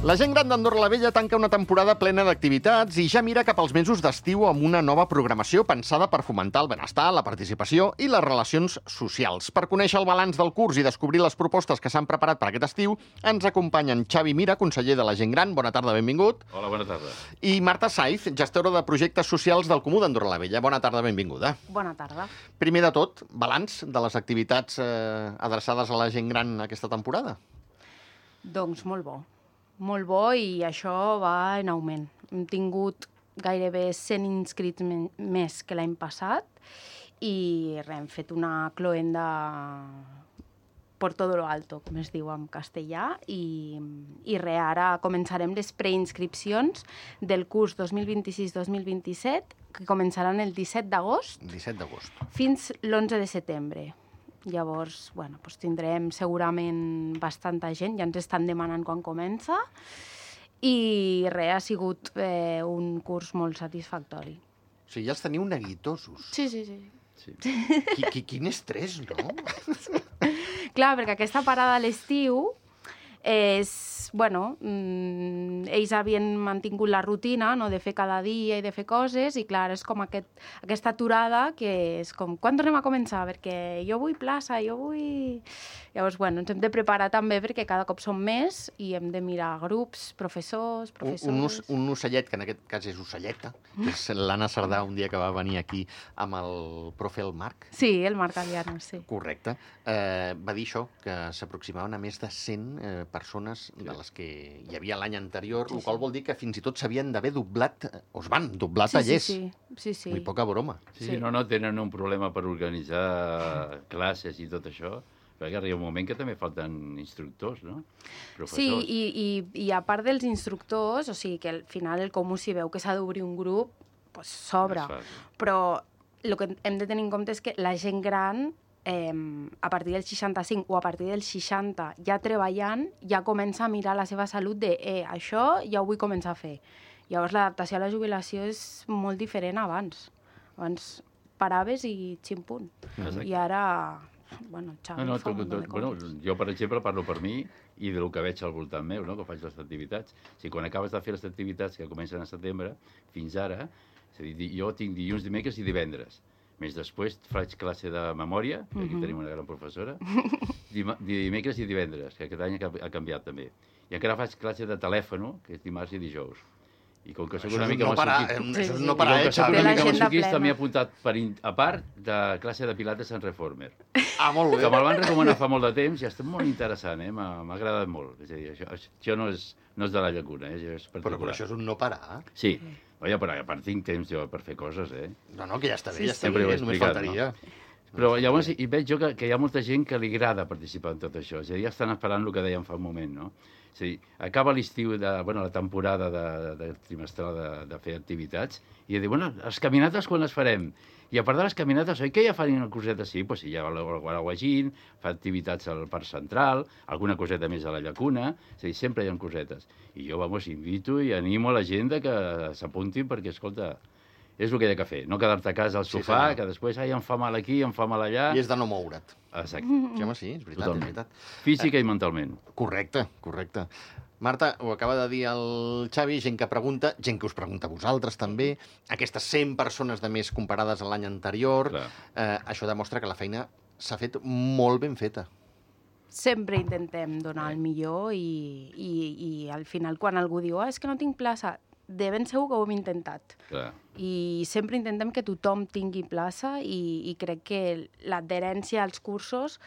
La gent gran d'Andorra la Vella tanca una temporada plena d'activitats i ja mira cap als mesos d'estiu amb una nova programació pensada per fomentar el benestar, la participació i les relacions socials. Per conèixer el balanç del curs i descobrir les propostes que s'han preparat per aquest estiu, ens acompanyen Xavi Mira, conseller de la gent gran. Bona tarda, benvingut. Hola, bona tarda. I Marta Saiz, gestora de projectes socials del Comú d'Andorra la Vella. Bona tarda, benvinguda. Bona tarda. Primer de tot, balanç de les activitats adreçades a la gent gran aquesta temporada. Doncs molt bo. Molt bo i això va en augment. Hem tingut gairebé 100 inscrits més que l'any passat i hem fet una cloenda por todo lo alto, com es diu en castellà, i ara començarem les preinscripcions del curs 2026-2027, que començaran el 17 d'agost 17 d'agost. fins l'11 de setembre. Llavors, doncs tindrem segurament bastanta gent, ja ens estan demanant quan comença, i ha sigut un curs molt satisfactori. O sigui, ja els teniu neguitosos. Sí. Quin estrès, no? Clar, perquè aquesta parada a l'estiu és, ells havien mantingut la rutina, no?, de fer cada dia i de fer coses, i clar, és com aquesta aturada que és com, quan tornem a començar? Perquè jo vull plaça, jo vull... Llavors, ens hem de preparar també perquè cada cop som més i hem de mirar grups, professors... Un ocellet, que en aquest cas és ocelleta, que és l'Anna Cerdà, un dia que va venir aquí amb el profe el Marc. Sí, el Marc Aliano, sí. Correcte. Va dir això, que s'aproximaven a més de 100 persones de les que hi havia l'any anterior, el qual vol dir que fins i tot s'havien d'haver doblat, o es van doblar tallers. Sí. Muy poca broma. Sí, no tenen un problema per organitzar classes i tot això, perquè arriba un moment que també falten instructors, no? Professors. Sí, i a part dels instructors, o sigui que al final el Comú, si veu que s'ha d'obrir un grup, s'obre. Però el que hem de tenir en compte és que la gent gran, a partir del 65 o a partir del 60, ja treballant, ja comença a mirar la seva salut de això ja ho vull començar a fer. Llavors l'adaptació a la jubilació és molt diferent a abans. Abans paraves i ximpunt. I ara... Jo, per exemple, parlo per mi i del que veig al voltant meu, que faig les activitats. O sigui, quan acabes de fer les activitats que comencen a setembre, fins ara, és a dir, jo tinc dilluns, dimecres i divendres. Més després faig classe de memòria, que aquí tenim una gran professora, dimecres i divendres, que aquest any ha canviat també. I encara faig classe de telèfon, que és dimarts i dijous. I com que soc una mica masoquista, m'he apuntat a part de classe de pilates en Reformer. Molt bé. Que me'l van recomanar fa molt de temps i està molt interessant, m'ha agradat molt. És a dir, això no és de la llacuna, és particular. Però això és un no parar. Sí, però a part tinc temps jo per fer coses, No, que ja està bé, només faltaria. Però llavors hi veig jo que hi ha molta gent que li agrada participar en tot això. És a dir, ja estan esperant el que dèiem fa un moment, no? És a dir, acaba l'estiu, la temporada trimestral de fer activitats, i dir, les caminates quan les farem? I a part de les caminates, oi que ja fan una coseta així? Doncs sí, hi ha el Guaraguagín, fa activitats al Parc Central, alguna coseta més a la llacuna, és a dir, sempre hi ha cosetes. I jo, invito i animo a la gent que s'apuntin perquè, escolta, és el que hi ha que fer, no quedar-te a casa al sofà, que després em fa mal aquí, em fa mal allà... I és de no moure't. Exacte. Sí, home, sí, és veritat. Física i mentalment. Correcte. Marta, ho acaba de dir el Xavi, gent que pregunta, gent que us pregunta a vosaltres també, aquestes 100 persones de més comparades a l'any anterior, això demostra que la feina s'ha fet molt ben feta. Sempre intentem donar el millor i al final quan algú diu és que no tinc plaça, de ben segur que ho hem intentat. I sempre intentem que tothom tingui plaça i crec que l'adherència als cursos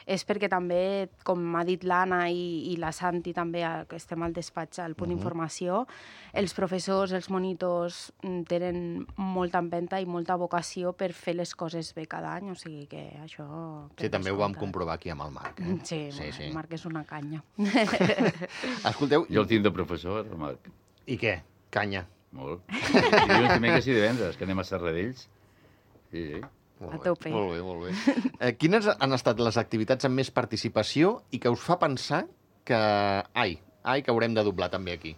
és perquè també, com ha dit l'Anna i la Santi també, que estem al despatx, al punt d'informació, els professors, els monitors tenen molta empenta i molta vocació per fer les coses bé cada any, o sigui que això... Sí, també ho vam comprovar aquí amb el Marc. Sí, el Marc és una canya. Escolteu... Jo el tinc de professor, el Marc. I què? Canya. Molt. Dilluns, dimecres i divendres, que anem a Serradells. Sí. A tope. Molt bé. Quines han estat les activitats amb més participació i que us fa pensar que... que haurem de doblar també aquí?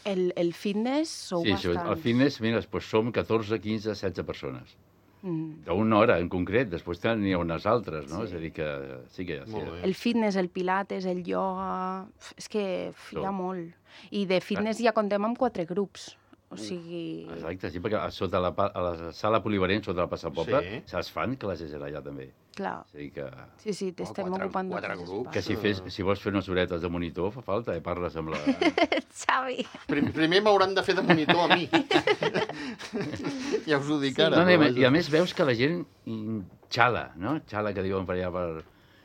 El fitness sou bastant... Sí, el fitness, mira, som 14, 15, 16 persones. d'una hora en concret, després n'hi ha unes altres, no? És a dir que sí que... El fitness, el pilates, el ioga... És que hi ha molt. I de fitness ja contem amb 4 grups. O sigui... Exacte, sí, perquè a la sala polivalent, sota el passapoble, es fan classes allà també. Clar. O sigui que... Sí, t'estem ocupant de 4 grups. Que si vols fer unes horetes de monitor, fa falta, parles amb la... Xavi! Primer m'hauran de fer de monitor a mi. Ja us ho dic ara. I a més veus que la gent xala, no? Xala, que diuen per allà per...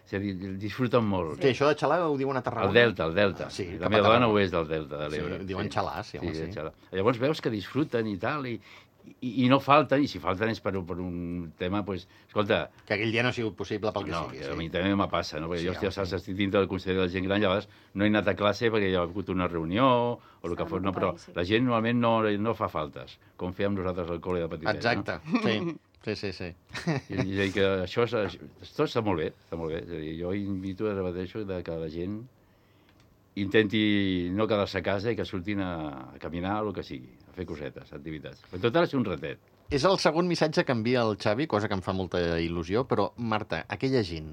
És a dir, disfruten molt. Sí, això de xalar ho diuen a Tarragona. El Delta. Sí, la meva dona ho és del Delta de l'Ebre. Sí, diuen xalar, sí, home, sí. Xalar. Llavors veus que disfruten i tal, i no falten, i si falten és per un tema, doncs, escolta... Que aquell dia no ha sigut possible pel que sigui. No, a mi també me passa, no? Perquè jo, saps, estic dintre del Consell de la Gent Gran, llavors no he anat a classe perquè hi ha hagut una reunió o el que fos, no, però la gent normalment no fa faltes, com fèiem nosaltres al col·le de petitet. Exacte, sí. Sí. I que això tot està molt bé, està molt bé. És a dir, jo invito, repeteixo, que la gent intenti no quedar-se a casa i que surtin a caminar o el que sigui, a fer cosetes, activitats. Però tot ha de ser un ratet. És el segon missatge que envia el Xavi, cosa que em fa molta il·lusió, però, Marta, aquella gent,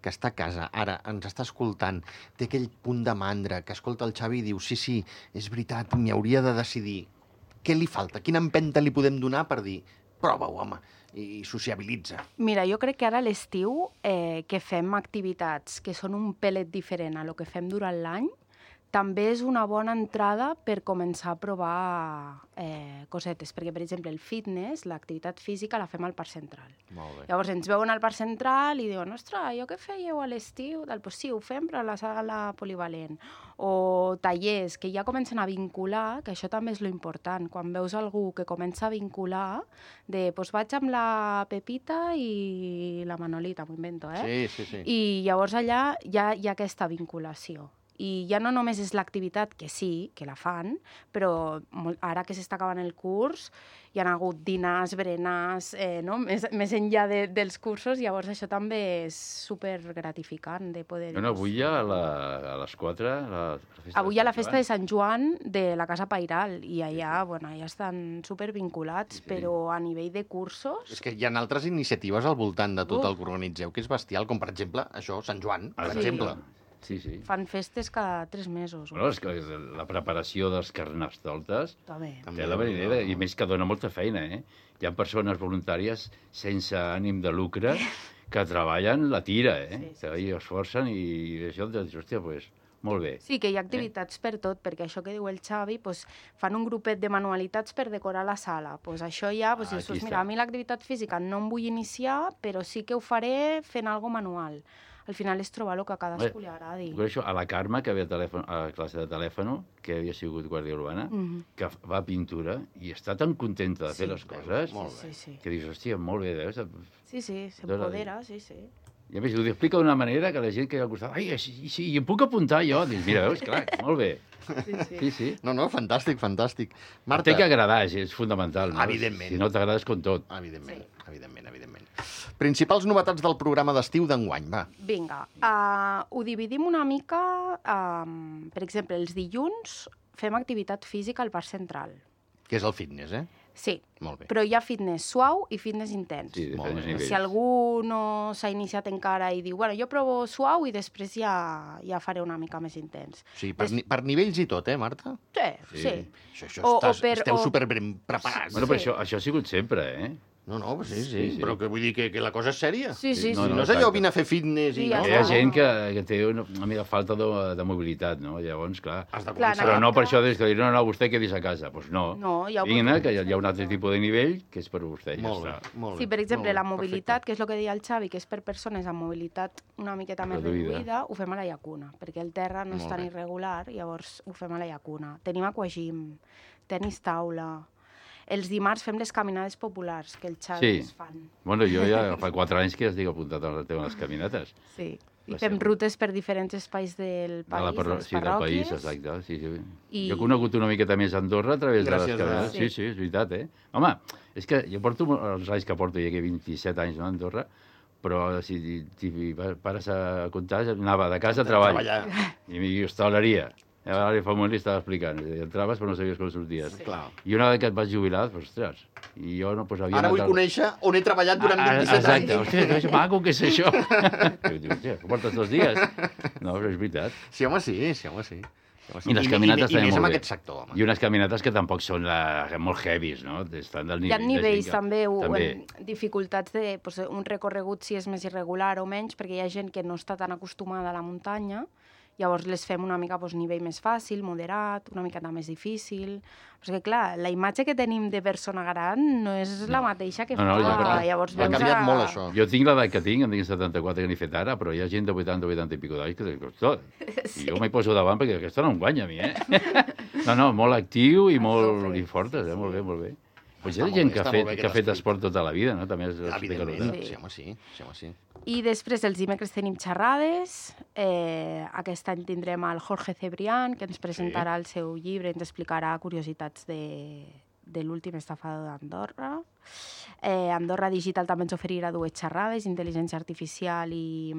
que està a casa, ara ens està escoltant, té aquell punt de mandra, que escolta el Xavi i diu, sí, és veritat, m'hi hauria de decidir. Què li falta? Quina empenta li podem donar per dir, prova-ho, home, i sociabilitza? Mira, jo crec que ara a l'estiu que fem activitats que són un pelet diferent a lo que fem durant l'any, també és una bona entrada per començar a provar cosetes, perquè, per exemple, el fitness, l'activitat física, la fem al Parc Central. Molt bé. Llavors ens veuen al Parc Central i diuen, ostres, jo què fèieu a l'estiu? Doncs sí, ho fem, però a la sala polivalent. O tallers, que ja comencen a vincular, que això també és lo important, quan veus algú que comença a vincular, doncs vaig amb la Pepita i la Manolita, m'ho invento, Sí. I llavors allà hi ha aquesta vinculació. I ja no només és l'activitat, que sí, que la fan, però ara que s'està acabant el curs hi ha hagut dinars, berenars, no? més enllà dels cursos, llavors això també és supergratificant de poder... No, avui ja a les 4... Avui hi ha la festa de Sant Joan de la Casa Pairal i allà, ja estan supervinculats, però a nivell de cursos... És que hi ha altres iniciatives al voltant de tot el que organitzeu, que és bestial, com per exemple això, Sant Joan, per exemple. Sí. Fan festes cada 3 mesos. Bueno, és que la preparació dels carnestoltes també té la marinera, i més que dona molta feina, Hi ha persones voluntàries sense ànim de lucre que treballen la tira, que hi esforcen i això, hòstia, doncs, molt bé. Sí, que hi ha activitats per tot, perquè això que diu el Xavi, fan un grupet de manualitats per decorar la sala. Això ja, dius, mira, a mi l'activitat física no em vull iniciar, però sí que ho faré fent alguna manual. Al final és trobar el que a cadascú li agradi. Això, a la Carme, que ve a classe de telèfon, que havia sigut guàrdia urbana, que va a pintura, i està tan contenta de fer les coses, que dius, hòstia, molt bé, veus? Sí, s'empodera, sí. I a més, ho explica d'una manera que la gent que hi ha al costat, ai, sí, i em puc apuntar jo? Dius, mira, veus, clar, molt bé. Sí. No, fantàstic. Marta... Té que agradar, és fundamental. No? Evidentment. Si no t'agrades, com tot. Evidentment. Principals novetats del programa d'estiu d'enguany, va. Vinga, ho dividim una mica, per exemple, els dilluns fem activitat física al Parc Central. Que és el fitness, Sí, molt bé. Però hi ha fitness suau i fitness intens. Sí, diferents nivells. Si algú no s'ha iniciat encara i diu, jo provo suau i després ja faré una mica més intens. Sí, per nivells i tot, Marta? Sí. Esteu superben preparats. Bueno, però això ha sigut sempre, No, sí. Però que vull dir que la cosa és sèria. Sí. No és allò, vine a fer fitness i... Hi ha gent que té una mica falta de mobilitat, no? Llavors, clar... Però no per això dir, no, vostè quedis a casa. Doncs no. Vinga, que hi ha un altre tipus de nivell que és per vostè. Molt bé. Sí, per exemple, la mobilitat, que és el que deia el Xavi, que és per persones amb mobilitat una miqueta més reduïda, ho fem a la llacuna, perquè el terra no és tan irregular, llavors ho fem a la llacuna. Tenim aquagym, tenis taula... Els dimarts fem les caminades populars, que el Xavi es fan. Bueno, jo ja fa 4 anys que estic apuntat a les caminates. Sí, i fem rutes per diferents espais del país, de les parròquies. Sí, del país, exacte. Sí. Jo he conegut una miqueta més Andorra a través de les caminades. Sí, és veritat, Home, és que jo porto els anys que porto, ja que 27 anys a Andorra, però si pares a comptar, anava de casa a treballar. I hostaleria. Ara fa un moment li estava explicant. Entraves però no sabies com sorties. Sí. Clar. I una vegada que et vas jubilar, ostres, i jo no, havia Ara vull conèixer on he treballat durant 27 anys. Exacte, hòstia, que maco que és això. I dic, hòstia, ho portes 2 dies? No, però és veritat. Sí, home, sí. I les caminates també més molt amb bé. aquest sector, home. I unes caminates que tampoc són molt heavies, no? Estan del Hi ha nivells també, també. dificultats de un recorregut si és més irregular o menys, perquè hi ha gent que no està tan acostumada a la muntanya, llavors les fem una mica nivell més fàcil, moderat, una miqueta més difícil. Però és que, clar, la imatge que tenim de persona gran no és la mateixa que fa. Llavors ha canviat molt, això. Jo tinc l'edat que tinc, em tinc 74 que n'he fet ara, però hi ha gent de 80 i pico d'anys que dic, ostres, i jo m'hi poso davant perquè aquesta no em guanya a mi, No, molt actiu i molt fortes, molt bé, molt bé. Pues hi ha gent que ha fet esport tota la vida, no? També evidentment, sí, home, sí. I després, els dimecres tenim xerrades. Aquest any tindrem el Jorge Cebrián, que ens presentarà el seu llibre, ens explicarà curiositats de l'últim estafador d'Andorra. Andorra Digital també ens oferirà 2 xerrades, intel·ligència artificial i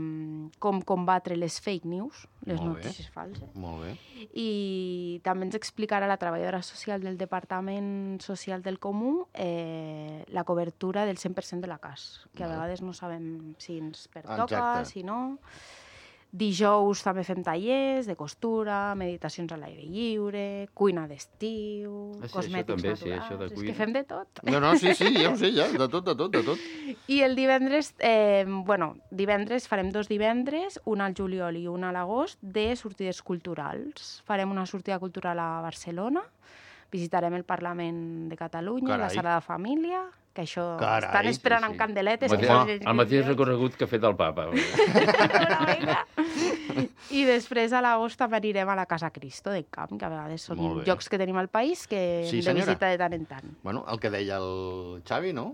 com combatre les fake news, les notícies falses. Molt bé. I també ens explicarà la treballadora social del Departament Social del Comú la cobertura del 100% de la CAS, que a vegades no sabem si ens pertoca, si no. Dijous també fem tallers de costura, meditacions a l'aire lliure, cuina d'estiu, cosmètics naturals... És que fem de tot. No, sí, ja ho sé, ja, de tot. I el divendres, divendres farem 2 divendres, un al juliol i un a l'agost, de sortides culturals. Farem una sortida cultural a Barcelona, visitarem el Parlament de Catalunya, la Sala de Família, que això estan esperant amb candeletes. El mateix recorregut que ha fet el papa. I després a l'agost també anirem a la Casa Cristo del Camp, que a vegades són llocs que tenim al país que hem de visitar de tant en tant. Bueno, el que deia el Xavi, no?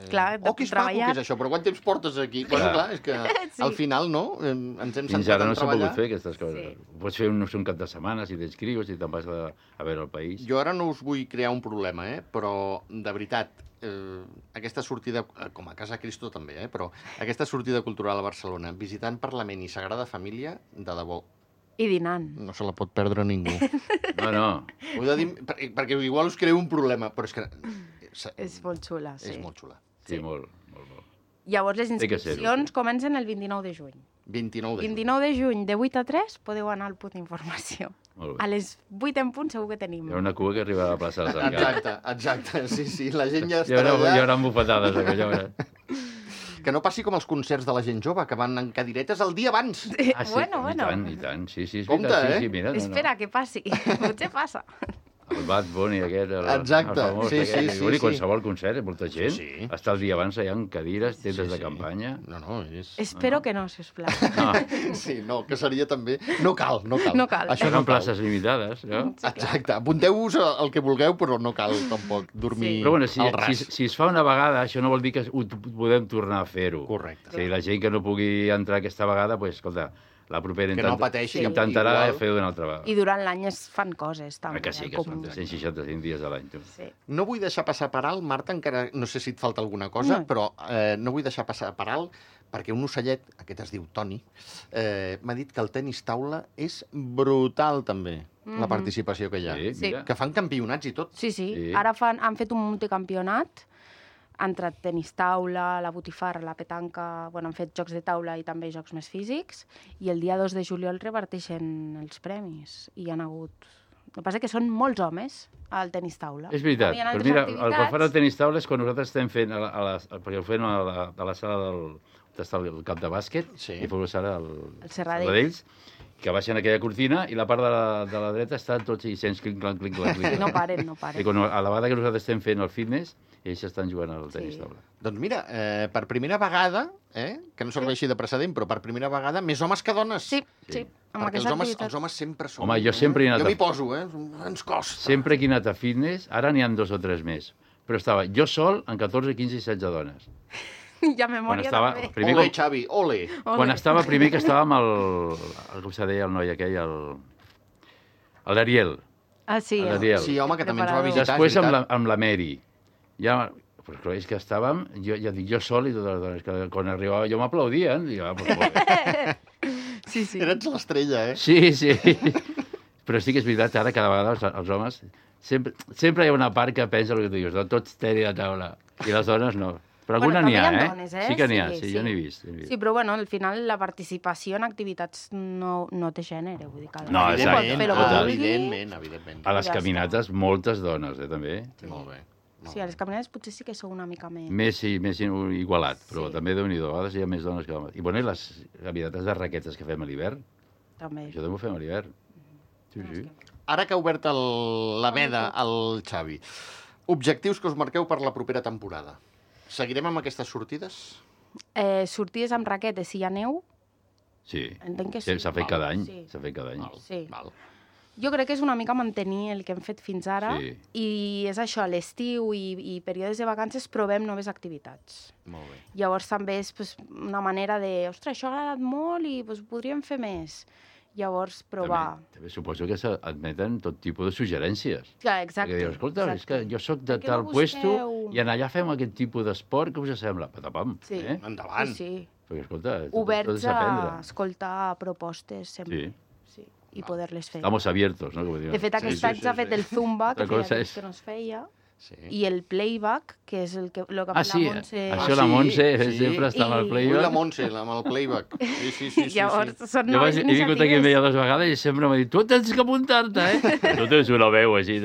Clar, que és maco que és això, però quant temps portes aquí? Bueno, clar, és que al final, no? Ens hem sentat a treballar. Fins ara no s'ha pogut fer aquestes coses. Pots fer un cap de setmana si t'inscrius, si te'n vas a veure el país. Jo ara no us vull crear un problema, però de veritat, aquesta sortida, com a Casa Cristo també, però aquesta sortida cultural a Barcelona, visitant Parlament i Sagrada Família, de debò. I dinant. No se la pot perdre ningú. No. Ho he de dir, perquè igual us creu un problema, però és que... És molt xula, sí. És molt xula. Sí, molt. Llavors les inscripcions comencen el 29 de juny. 29 de juny, de 8 a 3, podeu anar al punt d'informació. A les 8 en punt segur que tenim. Hi ha una cua que arriba a la plaça de Sant Carles. Exacte, sí, la gent ja estarà allà. Hi haurà bufetades, aquella. Que no passi com els concerts de la gent jove, que van en cadiretes el dia abans. Bueno. I tant, sí. Compte, Espera, que passi. Potser passa. El Bad Bunny aquest, el famós, sí. Qualsevol concert, molta gent. Està el dia abans allà amb cadires, tendes de campanya. No, és... Espero que no, sisplau. Sí, que seria també... No cal. Això són places limitades, no? Exacte. Apunteu-vos el que vulgueu, però no cal tampoc dormir al ras. Però bueno, si es fa una vegada, això no vol dir que podem tornar a fer-ho. Correcte. Si la gent que no pugui entrar aquesta vegada, doncs, escolta, la propera intentarà fer-ho d'una altra vegada. I durant l'any es fan coses, també. Que sí, que es fan 165 dies a l'any. Sí. No vull deixar passar per alt, Marta, encara no sé si et falta alguna cosa, però no vull deixar passar per alt, perquè un ocellet, aquest es diu Toni, m'ha dit que el tenis taula és brutal, també, la participació que hi ha. Sí. Que fan campionats i tot. Sí. Ara han fet un multicampionat. Ha entrat tenis taula, la botifarra, la petanca... Bueno, han fet jocs de taula i també jocs més físics. I el dia 2 de juliol reparteixen els premis. I hi ha hagut... El que passa que són molts homes al tenis taula. És veritat. Però mira, el que fan al tenis taula és quan nosaltres estem fent... perquè ho fem a la sala on està el camp de bàsquet, i fos ara el Serradells, que baixen aquella cortina i la part de la dreta estan tots i sents clinc-clanc. No paren. I a la vegada que nosaltres estem fent el fitness, ells estan jugant al tenis taula. Doncs mira, per primera vegada, que no serveixi de precedent, però per primera vegada, més homes que dones. Sí. Perquè els homes sempre són... Home, jo sempre he anat... Jo m'hi poso, ens costa. Sempre que he anat a fitness, ara n'hi ha 2 o 3 més, però estava jo sol amb 14, 15 i 16 dones. Ja memòria també. Ole, Xavi, ole. Quan estava primer, que estava amb com se deia el noi aquell, l'Ariel. Ah, sí. Sí, home, que també ens va visitar. Després amb la Mary. Ja, però és que estàvem, jo sol i totes les dones, que quan arribava jo m'aplaudien. Sí. Eres l'estrella, Sí. Però sí que és veritat, ara cada vegada els homes... Sempre hi ha una part que pensa el que tu dius, no? Tots tenen a taula, i les dones no. Però alguna n'hi ha, dones, Sí que n'hi ha, sí, jo n'he vist. Sí, però bueno, al final la participació en activitats no té gènere, vull dir que... No, evidentment. A les caminates, moltes dones, també. Molt bé. Sí, a les caminates potser sí que sou una mica més... Més igualat, però també Déu-n'hi-do, a vegades hi ha més dones que homes. I bueno, i les caminates de raquetes que fem a l'hivern? També. Això també ho fem a l'hivern. Sí. Ara que ha obert la veda al Xavi, objectius que us marqueu per la propera temporada. Seguirem amb aquestes sortides? Sortides amb raquetes, si hi ha neu? Sí. Entenc que sí. S'ha fet cada any. Sí. S'ha fet cada any. Sí. Jo crec que és una mica mantenir el que hem fet fins ara i és això, a l'estiu i períodes de vacances provem noves activitats. Molt bé. Llavors també és una manera de, ostres, això ha agradat molt i podríem fer més. Llavors, provar... També suposo que s'admeten tot tipus de suggerències. Clar, exacte. Perquè dius, escolta, és que jo sóc de tal puesto i allà fem aquest tipus d'esport, què us sembla? Patapam. Sí. Endavant. Sí. Perquè, escolta, oberts a escoltar propostes sempre. Sí. I poder-les fer. Estamos abiertos, no? De fet, aquest any s'ha fet el Zumba, que feia temps que no es feia. Sí. I el playback, que és el que ha fet la Montse... Això la Montse sempre està amb el playback. La Montse, amb el playback. Sí. Llavors, són jo noves iniciatives. He vingut aquí amb ella 2 vegades i sempre m'ha dit, tu tens que apuntar-te, Tu tens una veu així.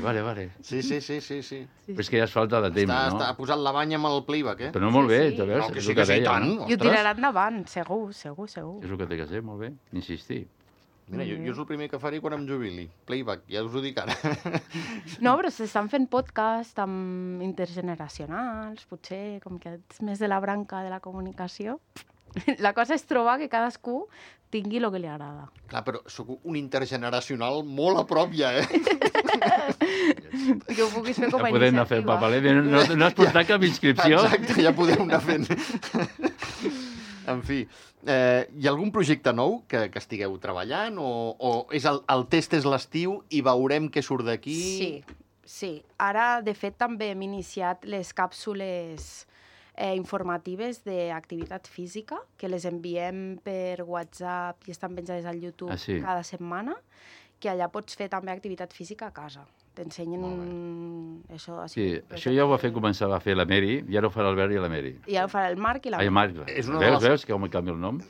Vale. Sí. Però és que ja és falta de temps, no? Ha posat la banya amb el playback, Però no molt bé, sí. veus? No, que sí, tant. I ho tirarà endavant, segur. És el que té que ser, molt bé, insistir. Mira, jo és el primer que faré quan em jubili. Playback, ja us ho dic ara. No, però s'estan fent podcast amb intergeneracionals, potser, com que ets més de la branca de la comunicació. La cosa és trobar que cadascú tingui el que li agrada. Clar, però sóc un intergeneracional molt a prop ja, Que ho puguis fer com a iniciativa. Ja podem anar fent papelet, no has portat cap inscripció? Exacte, ja podem anar fent. En fi, hi ha algun projecte nou que estigueu treballant o és el test és l'estiu i veurem què surt d'aquí? Sí. Ara, de fet, també hem iniciat les càpsules informatives d'activitat física, que les enviem per WhatsApp i estan penjades al YouTube cada setmana, que allà pots fer també activitat física a casa. T'ensenyen això... Sí, això ja ho començar a fer la Mary, i ara ho farà el Albert i la Mary. I ara ho farà el Marc i la Mary. Veus que com canvia el nom?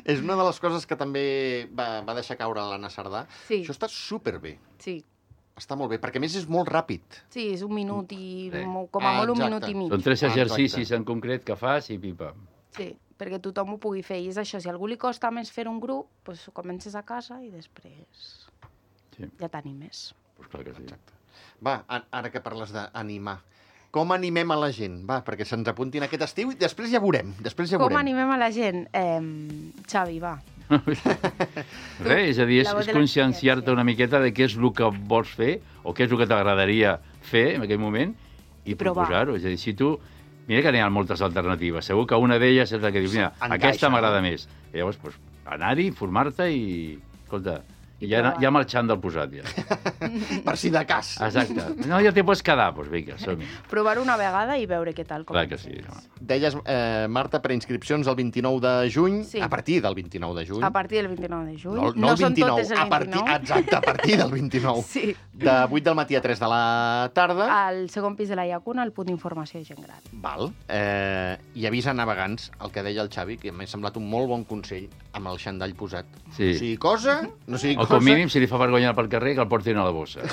És una de les coses que també va deixar caure l'Anna Sardà. Sí. Això està superbé. Sí. Està molt bé, perquè a més és molt ràpid. Sí, és 1 minut i com a molt 1 minut i mig. Són 3 exercicis en concret que fas i pipa. Sí, perquè tothom ho pugui fer. I és això, si a algú li costa més fer un grup, doncs ho comences a casa i després ja t'animes. Pues clar que sí. Exacte. Va, ara que parles d'animar, com animem a la gent? Va, perquè se'ns apuntin aquest estiu i després ja veurem. Com animem a la gent? Xavi, va. Res, és a dir, és conscienciar-te una miqueta de què és el que vols fer o què és el que t'agradaria fer en aquell moment i proposar-ho. És a dir, si tu... Mira que n'hi ha moltes alternatives. Segur que una d'elles és la que dius, mira, aquesta m'agrada més. I llavors, anar-hi, formar-te i... Escolta, ja marxant del posat, ja. Per si de cas. Exacte. No, ja t'hi pots quedar, doncs vinga, som-hi. Provar una vegada i veure què tal. Clar que sí. Deies, Marta, preinscripcions el 29 de juny, a partir del 29 de juny. A partir del 29 de juny. No el 29, exacte, a partir del 29. Sí. De 8 del matí a 3 de la tarda. Al segon pis de la Llacuna, al punt d'informació de gent gran. Val. I avisa navegants, el que deia el Xavi, que m'ha semblat un molt bon consell, amb el xandall posat. Sí. No sigui cosa, no sigui cosa... O com mínim, si li fa vergonya pel carrer, que el portin a la bossa.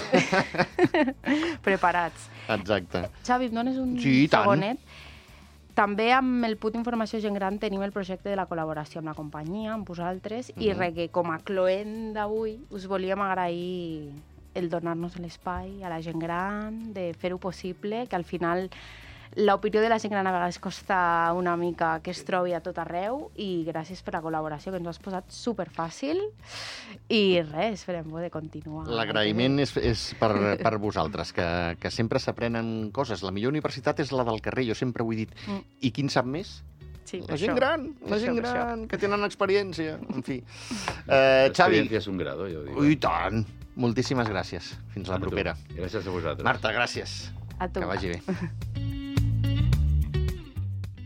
Preparats. Exacte. Xavi, em dones un segonet? També amb el punt d'informació gent gran tenim el projecte de la col·laboració amb la companyia, amb vosaltres, i que com a cloent d'avui us volíem agrair el donar-nos l'espai a la gent gran, de fer-ho possible, que al final l'opinió de la gent gran a vegades costa una mica que es trobi a tot arreu, i gràcies per la col·laboració, que ens ho has posat superfàcil, i res, esperem de continuar. L'agraïment és per vosaltres, que sempre s'aprenen coses. La millor universitat és la del carrer, jo sempre ho he dit. I qui en sap més? Sí, la gent gran, que tenen experiència, en fi. Xavi... L'experiència és un grado, jo dic. I tant! Moltíssimes gràcies. Fins la propera. Gràcies a vosaltres. Marta, gràcies. A tu. Que vagi bé.